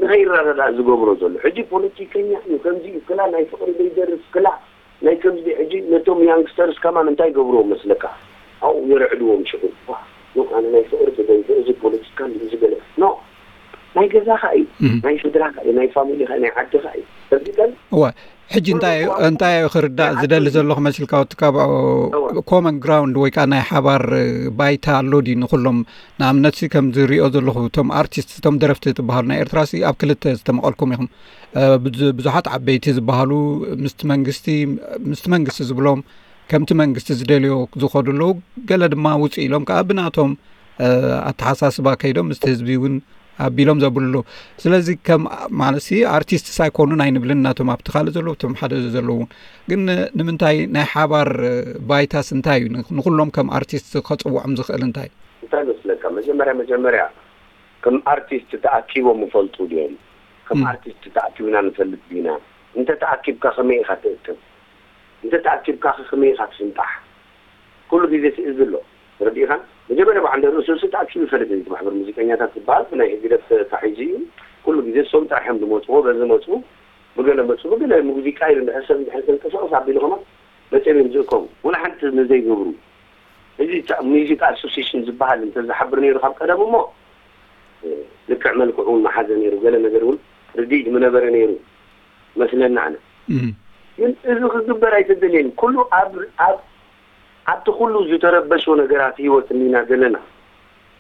ንኸይረዳዳእ ዝገብሮ ዘሎ ሕጂ ፖለቲከኛ እዩ ከምዚ እዩ ክላ ናይ ፍቅሪ ዘይደርፍ ክላ ናይ ከምዚ ሕጂ ነቶም ያንግስተርስ ከማን እንታይ ገብርዎ መስለካ ኣብኡ የረዕድዎም ሽዑ ኣነ ናይ ፍቅሪ ተደንፈ እዚ ፖለቲካ እዚ ገለ ኖ ናይ ገዛኻ እዩ ናይ ስድራካ እዩ ናይ ፋሚሊካ ናይ ዓድካ እዩ ተረዲእካ እወ ሕጂ እንታይ እንታይ ክርዳእ ዝደሊ ዘለኹ መሲልካ ወትካ ብኦ ኮመን ግራውንድ ወይ ከዓ ናይ ሓባር ባይታ ኣሎ ድዩ ንኩሎም ንኣብነት ሲ ከም ዝሪኦ ዘለኹ እቶም ኣርቲስት እቶም ደረፍቲ ትበሃሉ ናይ ኤርትራ ሲ ኣብ ክልተ ዝተመቐልኩም ኢኹም ብዙሓት ዓበይቲ ዝበሃሉ ምስቲ መንግስቲ ምስቲ መንግስቲ ዝብሎም ከምቲ መንግስቲ ዝደልዮ ዝኸዱ ኣለዉ ገለ ድማ ውፅእ ኢሎም ከዓ ብናቶም ኣተሓሳስባ ከይዶም ምስቲ ህዝቢ እውን ኣቢሎም ዘብልሉ። ስለዚ ከም ማለት ኣርቲስትስ ኣይኮኑን ኣይንብልን፣ ናቶም ኣብቲ ካልእ ዘለዉ፣ እቶም ሓደ ዘለዉ እውን። ግን ንምንታይ ናይ ሓባር ባይታስ እንታይ እዩ? ንኹሎም ከም ኣርቲስት ከጽውዖም ዝኽእል እንታይ? እንታይ መስለካ? መጀመርያ መጀመርያ ከም ኣርቲስት ተኣኪቦም ይፈልጡ ድዮም? ከም ኣርቲስት ተኣኪብና ንፈልጥ ዲና? እንተ ተኣኪብካ ከመይ ኢኻ ትእክብ? እንተ ተኣኪብካ ከመይ ኢኻ ትፍንጣሕ? ኩሉ ግዜ ስእዝ ኣሎ። ረዲእኻን? መጀመርያ ብዓንደ ርእሱ እሱ ተኣኪቡ ይፈልጥ እዩ። እቲ ማሕበር ሙዚቀኛታት ዝበሃል ብናይ ህግደፍ ተታሒዙ እዩ። ኩሉ ግዜ እሶም ጥራሕ እዮም ዝመፅዎ። በዚ መፁ፣ ብገለ መፁ፣ ብገለ ሙዚቃ ኢሉ እንድሕር ሰብ እንድሕር ተንቀሳቐስ ኣቢሉ ከማን መፅኦም እዮም ዝእከቡ። ወላ ሓንቲ ንዘይገብሩ። እዚ ታ-፣ ሙዚቃ ኣሶሲሽን ዝበሃል እንተዝሓብር ነይሩ ካብ ቀደም እሞ፣ እ፣ ልክዕ መልክዑ እውን መሓዘ ነይሩ። ገለ ነገር እውን ርድኢት ምነበረ ነይሩ መስለና ኣነ። እም። ግን እዚ ክግበር ኣይተደልየን። ኩሉ ኣብ፣ ኣብ፣ ኣብቲ ኩሉ ዝተረበሾ ነገራት ህይወት እንዲና ዘለና።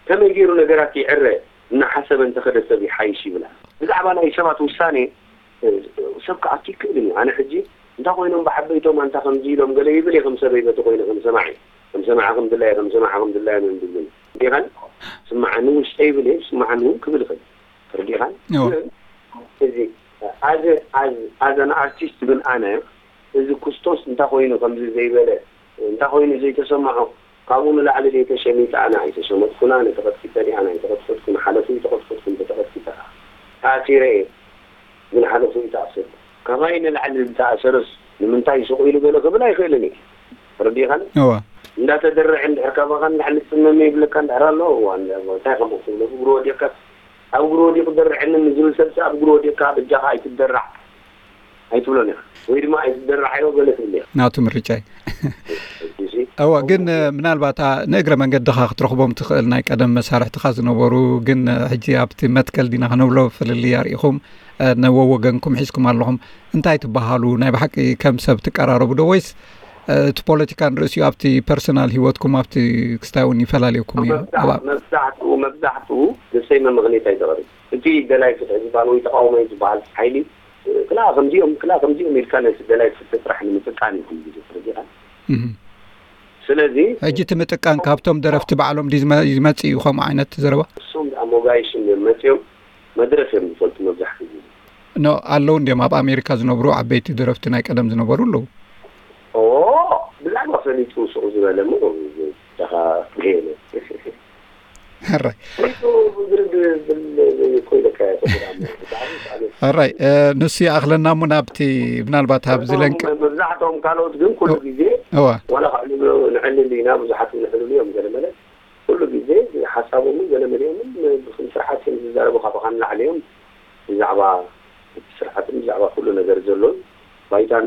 ከመይ ገይሩ ነገራት ይዕረ እናሓሰበ እንተኸደ ሰብ ይሓይሽ ይብላ። ብዛዕባ ናይ ሰባት ውሳኔ፣ እ፣ ሰብ ክኣቱ ይክእልን እዩ። ኣነ ሕጂ እንታይ ኮይኖም ብዓበይቶም ኣንታ ከምዚ ኢሎም ገለ ይብል እየ፣ ከም ሰበይ በቲ ኮይነ ከም ሰማዒ። ከም ሰማዒ ከም ድላየ፣ ከም ሰማዒ ከም ድላየ ምን ብዝብል። እንዲኻን ስማዓኒ ውሽጠ ይብል እየ፣ ስማዓኒ እውን ክብል ይኽእል። ተረዲእኻን? እወ። ግን እዚ ኣዘ-፣ ኣዝ-፣ ኣዘን ኣርቲስት ግን ኣነ እዚ ኩስቶስ እንታይ ኮይኑ ከምዚ ዘይበለ፣ እንታይ ኮይኑ ዘይተሰምዖ፣ ካብኡ ንላዕሊ ዘይተሸሚጠ ኣነ ኣይተሸመጥኩን፣ ኣነ ተቐጥቂጠ ድየ፣ ኣነ ኣይተቐጥቀጥኩን፣ ሓለፉ ኣይተቐጥቀጥኩን፣ እንተተቐጥቂጠ ከኣ ተኣሲረ እየ፣ ግን ሓለፉ ኣይተኣሰርኩን። ካባይ ንላዕሊ ዝተኣሰረስ ንምንታይ ስቕ ኢሉ ገለ ክብል ኣይኽእልን እየ። ተረዲእኻን? እወ። እንዳተደርዐ እንድሕር ካባኻ ንላዕሊ ዝጽመም ይብለካ እንድሕር ኣሎ፣ እዋ፣ እንታይ ከምኡ ክብሎ፣ እግሩ ወዲቕካ ኣብ እግሩ ወዲቑ ደርዐኒ ንዝብል ሰብሲ ኣብ እግሩ ወዲቕካ በጃኻ ኣይትደራዕ ኣይትብሎን ኢኻ። ወይ ድማ ኣይትደራዓዮ ገለ ትብል ኢኻ። ናቱ ምርጫ እዩ። እሺ። እወ፣ ግን፣ እ፣ ምናልባት፣ ኣ፣ ንእግረ መንገድኻ ክትረኽቦም ትኽእል ናይ ቀደም መሳርሕትኻ ዝነበሩ፣ ግን፣ እ፣ ሕጂ ኣብቲ መትከል ዲና ክነብሎ ፍልልይ ኣርኢኹም፣ እ፣ ነወወገንኩም ሒዝኩም ኣለኹም። እንታይ ትበሃሉ? ናይ ብሓቂ ከም ሰብ ትቀራረቡ ዶ ወይስ፣ እ፣ እቲ ፖለቲካ ንርእሲኡ ኣብቲ ፐርሰናል ህይወትኩም ኣብቲ ክስታይ እውን ይፈላለየኩም እዩ? መብዛሕ-፣ ኣብ መብዛሕትኡ፣ መብዛሕትኡ ደሰይመ ምኽንያት ኣይተቕርብ። እቲ ደላይ ፍትሒ ዝበሃል ወይ ተቃውሞ እዩ ዝበሃል ሓይሊ፣ ክላ ከምዚኦም፣ ክላ ከምዚኦም ኢልካ ነቲ ደላይ ፍትሒ ጥራሕ ንምጥቃን እዩ ኩሉ ግዜ ተረዲኻ። እህ። ስለዚ ሕጂ እቲ ምጥቃን ካብቶም ደረፍቲ ባዕሎም ድዩ ዝመ-፣ ዝመጽእ እዩ ከምኡ ዓይነት ዘረባ? እሶም ኣሞጋይሽን እዮም መጽኦም፣ መድረፍ እዮም ዝፈልጡ መብዛሕትኡ ግዜ። ኖ፣ ኣለዉ እንድዮም ኣብ ኣሜሪካ ዝነብሩ ዓበይቲ ደረፍቲ ናይ ቀደም ዝነበሩ ኣለዉ። ኦ፣ ብዛዕባ ፈሊጡ ስቕ ዝበለ እሞ፣ ደኻ ገለ። ሕራይ። ፈሊጡ ብግርድ ብል እኮ ኢለካ እየ፣ ተጎዳእሞ። ብጣዕሚ ሳዕቤን። ሕራይ፣ እ፣ ንሱ ይኣኽለና እሞ ናብቲ ምናልባት ኣብዚ እቶም ለንቅ-፣ መብዛሕትኦም ካልኦት ግን ኩሉ ግዜ እዋ። ዋላ ከዕልሉ ንዕልል ኢና፣ ብዙሓት ንዕልሉ እዮም ገለ መለ። ኩሉ ግዜ ሓሳቦምን ገለ መሊኦምን ብክም ስርዓት እዮም ዝዛረቡ፣ ካባኻ ንላዕሊ እዮም ብዛዕባ እቲ ስርዓትን ብዛዕባ ኩሉ ነገር ዘሎን ባይታን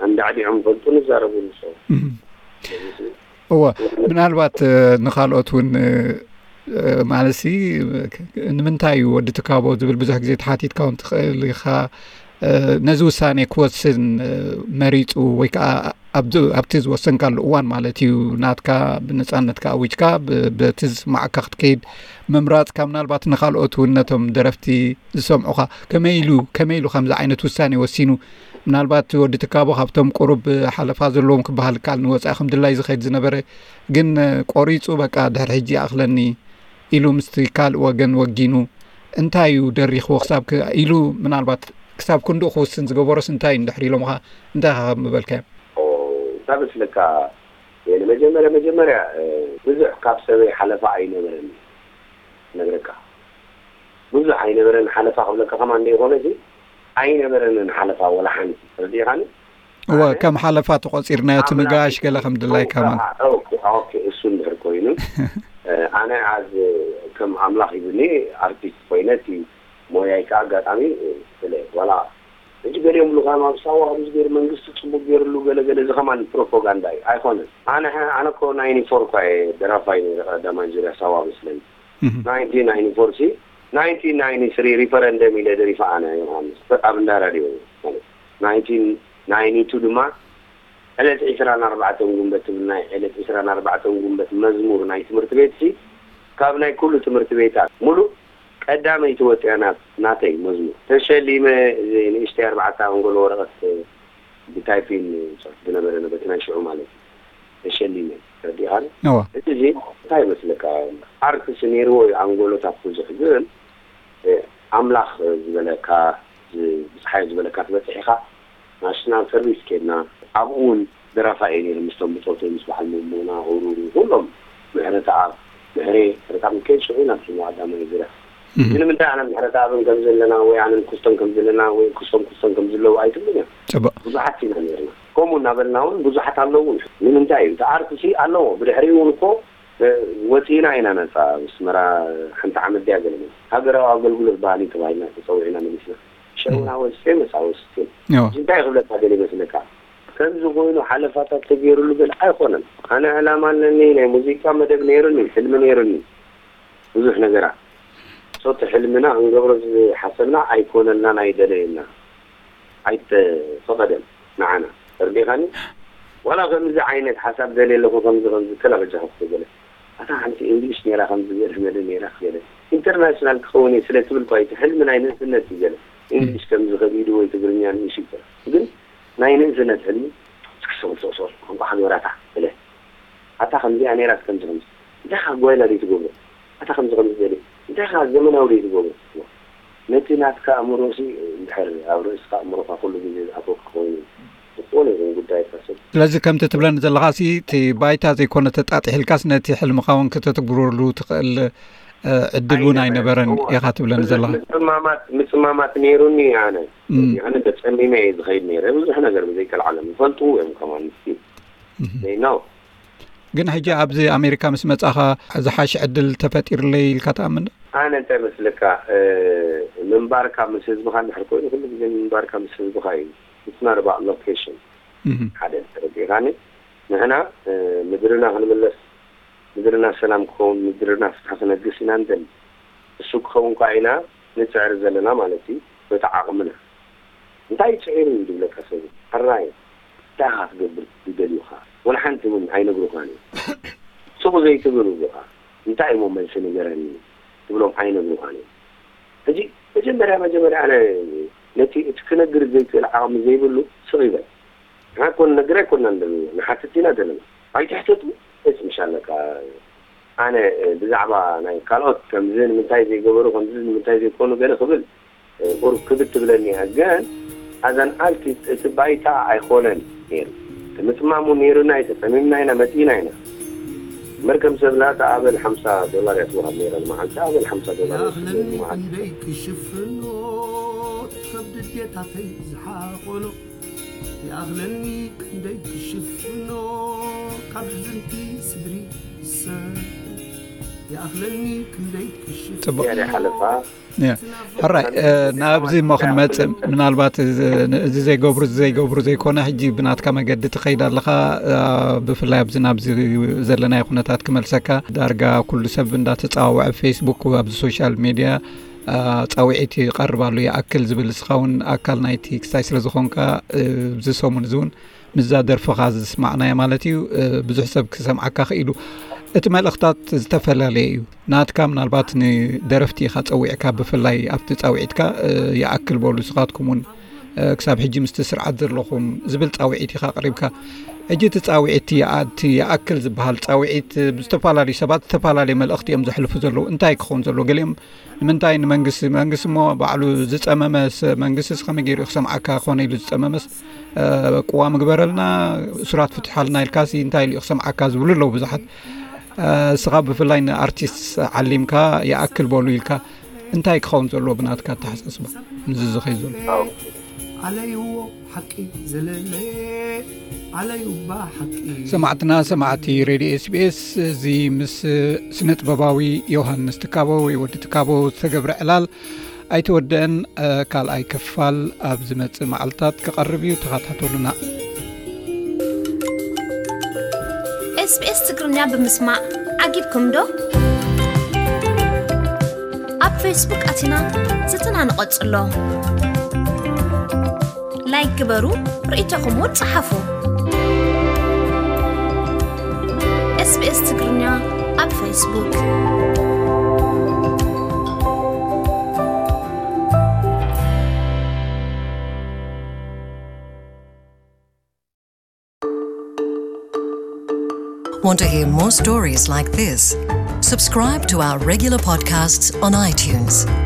ኣንዳዕዲዖም ይፈልጡ፣ ንዛረቡ ንሶም። እህ። እወ፣ ምናልባት፣ እ፣ ንኻልኦት እውን፣ እ፣ እ፣ ማለትሲ፣ እ፣ ንምንታይ እዩ ወዲ ትካቦ ዝብል ብዙሕ ግዜ ተሓቲትካ እውን ትኽእል ኢኻ። እ፣ ነዚ ውሳኔ ክወስን፣ እ፣ መሪጹ ወይ ከዓ ኣብዚ፣ ኣብቲ ዝወሰንካሉ እዋን ማለት እዩ፣ ናትካ ብነጻነትካ ኣዊጅካ፣ ብ-፣ በቲ ዝስማዓካ ክትከይድ ምምራጽካ፣ ምናልባት ንኻልኦት እውን ነቶም ደረፍቲ ዝሰምዑኻ ከመይ ኢሉ፣ ከመይ ኢሉ ከምዚ ዓይነት ውሳኔ ወሲኑ? ምናልባት ወዲ ትካቦ ካብቶም ቁሩብ ሓለፋ ዘለዎም ክበሃል ይከኣል፣ ንወጻኢ ከም ድላይ ዝኸይድ ዝነበረ፣ ግን ቆሪጹ በቃ ድሕሪ ሕጂ ይኣኽለኒ ኢሉ ምስቲ ካልእ ወገን ወጊኑ፣ እንታይ እዩ ደሪኽዎ ክሳብ ክ-፣ ኢሉ ምናልባት ክሳብ ክንድኡ ክውስን ዝገበሮስ እንታይ እዩ እንድሕር ኢሎምኻ እንታይ ኢኻ ምበልካዮም? ኦ፣ እንታይ መስለካ? የለ፣ መጀመርያ፣ መጀመርያ፣ እ፣ ብዙሕ ካብ ሰበይ ሓለፋ ኣይነበረኒ። ነግረካ። ብዙሕ ኣይነበረን ሓለፋ ክብለካ ከማን ዘይኮነ፣ እዚ ኣይነበረንን ሓለፋ ወላ ሓንቲ። ተረዲእኻኒ? እወ፣ ኣነ ከም ሓለፋ ተቖጺርናዮ፣ እቲ ኣምላኽ ምጋሽ ገለ ከም ድላይካ ማለት። ኦኬ፣ ኦኬ፣ እሱ እንድሕር ኮይኑ፣ እ፣ ኣነ ኣዝ ከም ኣምላኽ ሂብኒ ኣርቲስት ኮይነ፣ እቲ ሞያይ ከኣ ኣጋጣሚ፣ እ፣ ስለ ዋላ ሕጂ ገሊኦም ብሉኻም ኣብ ሳዋ ከምዚ ገይሩ መንግስቲ ጽቡቅ ገይርሉ ገለ ገለ፣ እዚ ከማን ፕሮፓጋንዳ እዩ፣ ኣይኮነን። ኣነ፣ ኣነ እኮ ናይንቲ ፎር እኳ እየ ደራፋይ ነይረ፣ ቀዳማይ ዙርያ ሳዋ መስለኒ። እህ። ናይንቲን ናይንቲ ፎር ሲ፣ ናይንቲን ናይንቲ ስሪ ሪፈረንደም ኢለ ደሪፈ ኣነ ዮሃንስ፣ ኣብ እንዳ ራድዮ ማለት። ናይንቲን ናይንቲ ቱ ድማ ዕለት ዕስራን ኣርባዕተን ጉንበት ትብል ናይ ዕለት ዕስራን ኣርባዕተን ጉንበት መዝሙር ናይ ትምህርቲ ቤት ሲ፣ ካብ ናይ ኩሉ ትምህርቲ ቤታት ሙሉእ ቀዳመይቲ ወፂኣ ናት-፣ ናተይ መዝሙር። ተሸሊመ፣ እዚ ንእሽተይ ኣርባዕተ ኣንጎሎ ወረቐት ብታይፒን ጽሑፍ ዝነበረ ነበቲ ናይ ሽዑ ማለት እዩ። ተሸሊመ፣ ተረዲእኻኒ? እወ። እቲ እዚ እንታይ ይመስለካ? ኣርትስ ነይርዎ እዩ ኣንጎሎታት ብዙሕ፣ ግን ኣምላኽ ዝበለካ፣ ብፀሓይ ዝበለካ ትበፅሕ ኢኻ። ናሽናል ሰርቪስ ኬድና፣ ኣብኡ እውን ደራፋ እየ ነይሩ ምስቶም ብፆተይ፣ ምስ በዓል መሞና፣ ሩሩ፣ ኩሎም፣ ምሕረተኣብ፣ ምሕሬ፣ ምሕረተኣብ ሚካኤል ሽዑ ናብ ሽሙ ቀዳማይ ዙርያ። ግን ምንታይ ኣነ ምሕረተኣብን ከም ዘለና ወይ ኣነን ክስቶም ከም ዘለና ወይ ክስቶም ክስቶም ከም ዘለዉ ኣይትብልን እዮም። ፅቡቅ። ብዙሓት ኢና ነርና። ከምኡ እናበልና እውን ብዙሓት ኣለዉ። ንምንታይ እዩ እቲ ኣርትሲ ኣለዎ። ብድሕሪኡ እውን እኮ ወፂእና ኢና ነፃ። ኣስመራ ሓንቲ ዓመት ድያ ገለመ ሃገራዊ ኣገልግሎት ባህሊ ተባሂልና ተፀዊዕና መሊስና። ሸውና ወስፌ መሳ ወስፌ እንታይ ክብለካ ገለ ይመስለካ? ከምዚ ኮይኑ ሓለፋታት ተገይሩሉ ገለ ኣይኮነን። ኣነ ዕላማ ኣለኒ፣ ናይ ሙዚቃ መደብ ነይሩኒ፣ ሕልሚ ነይሩኒ፣ ብዙሕ ነገራት። ሶቲ ሕልምና ክንገብሮ ዝሓሰብና ኣይኮነልናን ኣይደለየና ኣይተፈቐደን ንዓና። ተርዲኻኒ? ዋላ ከምዚ ዓይነት ሓሳብ ደልየ ኣለኹ፣ ከምዚ ከምዚ ከላ በጃኹም ገለ ኣታ ሓንቲ እንግሊሽ ነይራ፣ ከምዚ ገለ መደ ነይራ ገለ ኢንተርናሽናል ክኸውን እየ ስለ ትብል እኳ እቲ ሕልሚ ናይ ንእስነት እዩ ገለ። እንግሊሽ ከምዚ ከቢዱ ወይ ትግርኛ ንእሽ ይኮ ግን ናይ ንእስነት ሕልሚ ስክሶም ሶሶር ቋንቋ ሓገራታ እለ ኣታ ከምዚኣ ነይራት ከምዚ ከምዚ እንታይ ካ ጓይላ ደይ ትገብሮ ኣታ ከምዚ ከምዚ ገለ እንታይ ካ ዘመናዊ ደይ ትገብሮ ነቲ ናትካ ኣእምሮ ሲ እንድሕር ኣብ ርእስካ ኣእምሮካ ኩሉ ግዜ ዝኣተወካ ኮይኑ ዝኾነ ይኹን ጉዳይ ካሰብ ስለዚ ከምቲ ትብለኒ ዘለኻ ሲ እቲ ባይታ ዘይኮነ ተጣጢሕልካስ ነቲ ሕልምኻ እውን ከተትግብረሉ ትኽእል ዕድል እውን ኣይነበረን ኢኻ ትብለኒ ዘለኻ። ምጽማማት ምጽማማት ነይሩኒ ኣነ ኣነ ተጸሚመ እየ ዝኸይድ ነይረ ብዙሕ ነገር ብዘይከልዓለም ይፈልጡ እዮም ከማን ምስኪን they know ግን ሕጂ ኣብዚ ኣሜሪካ ምስ መጻኻ ዝሓሽ ዕድል ተፈጢርለይ ኢልካ ትኣምን ዶ? ኣነ እንታይ መስለካ ምንባርካ ምስ ህዝብኻ እንድሕር ኮይኑ ኩሉ ግዜ ምንባርካ ምስ ህዝብኻ እዩ it's not about location ሓደ ተረዲኻኒ ንሕና ምድርና ክንምለስ ምድርና ሰላም ክኸውን ምድርና ፍትሒ ክነግስ ኢና ንደሊ እሱ ክኸውን ከዓ ኢና ንፅዕር ዘለና ማለት እዩ በቲ ዓቕምና እንታይ ፅዒሩ እዩ ዝብለካ ሰብ ሕራይ እንታይ ኢኻ ትገብር ዝደልዩኻ ወላ ሓንቲ እውን ኣይነግሩኻን እዮም ስቕ ዘይትብል እዚኻ እንታይ እሞ መልሲ ንገረኒ ትብሎም ኣይነግሩኻን እዮም ሕጂ መጀመርያ መጀመርያ ኣነ ነቲ እቲ ክነግር ዘይክእል ዓቕሚ ዘይብሉ ስቕ ይበል ንሓኮን ነግር ኣይኮንና ዘለና ንሓትት ኢና ዘለና ኣይትሕተቱ እስ ምሻለካ ኣነ ብዛዕባ ናይ ካልኦት ከምዚ ንምንታይ ዘይገበሩ ከምዚ ንምንታይ ዘይኮኑ ገለ ክብል ቁሩብ ክብድ ትብለኒ እያ ግን as an artist እቲ ባይታ ኣይኮነን ነይሩ እቲ ምፅማሙ ነይሩና እዩ ተፀሚምና ኢና መፂእና ኢና መርከም ሰብ ላታ ኣበል ሓምሳ ዶላር እያ ትወሃብ ነይራ ንመዓልቲ ኣበል ሓምሳ ዶላር ይወስድ ነይሩ ንመዓልቲ ክሽፍኖ ከብዲ ዴታተይ ዝሓቆኖ ይኣኽለኒ ክንደይ ክሽፍኖ ካብ ዝንቲ ስድሪ ሰብ ይኣኽለኒ ክንደይ ክሽፍኖ ያደ ሓለፋ ሕራይ ናብዚ እሞ ክንመፅእ ምናልባት እዚ ዘይገብሩ እዚ ዘይገብሩ ዘይኮነ ሕጂ ብናትካ መገዲ ትኸይድ ኣለኻ ብፍላይ ኣብዚ ናብዚ ዘለናዮ ኩነታት ክመልሰካ ዳርጋ ኩሉ ሰብ እንዳተፃዋወዐ ፌስቡክ ኣብዚ ሶሻል ሜድያ ፃውዒት ይቐርብ ኣሎ ይኣክል ዝብል እስኻ እውን ኣካል ናይቲ ክስታይ ስለ ዝኾንካ እዚ ሰሙን እዚ እውን ምስዛ ደርፍኻ ዝስማዕናያ ማለት እዩ ብዙሕ ሰብ ክሰምዓካ ክኢሉ እቲ መልእኽታት ዝተፈላለየ እዩ ናትካ ምናልባት ንደረፍቲ ኢኻ ጸዊዕካ ብፍላይ ኣብቲ ጻውዒትካ ይኣክል በሉ ስኻትኩም እውን ክሳብ ሕጂ ምስቲ ስርዓት ዘለኹም ዝብል ጻውዒት ኢኻ ኣቕሪብካ ሕጂ እቲ ጻውዒት እቲ ይኣክል ዝበሃል ጻውዒት ብዝተፈላለዩ ሰባት ዝተፈላለየ መልእኽቲ እዮም ዘሕልፉ ዘለዉ እንታይ ክኸውን ዘለዎ ገሊኦም ንምንታይ ንመንግስቲ መንግስቲ እሞ ባዕሉ ዝፀመመስ መንግስቲ ከመይ ገይሩ ክሰምዓካ ክኾነ ኢሉ ዝፀመመስ ቅዋ ምግበረልና እሱራት ፍትሓልና ኢልካሲ እንታይ ኢሉ ክሰምዓካ ዝብሉ ኣለዉ ብዙሓት እስኻ ብፍላይ ንኣርቲስት ዓሊምካ ይኣክል በሉ ኢልካ እንታይ ክኸውን ዘለዎ ብናትካ ኣተሓሳስባ ንዚ ዝኸይ ዘሎ ኣለይዎ ሓቂ ዘለለ ኣለዩ እባ ሓቂ ሰማዕትና ሰማዕቲ ሬድዮ ኤስቢኤስ እዚ ምስ ስነ ጥበባዊ ዮሃንስ ትካቦ ወይ ወዲ ትካቦ ዝተገብረ ዕላል ኣይተወደአን ካልኣይ ክፋል ኣብ ዝመፅእ መዓልታት ክቐርብ እዩ ተኸታተሉና ኤስቢኤስ ትግርኛ ብምስማዕ ዓጊብኩም ዶ ኣብ ፌስቡክ ኣቲና ዝትና ንቐጽሎ ላይክ ግበሩ ርእይቶኹም እውን ጸሓፉ ኤስቢኤስ ትግርኛ ኣብ ፌስቡክ Want to hear more stories like this? Subscribe to our regular podcasts on iTunes.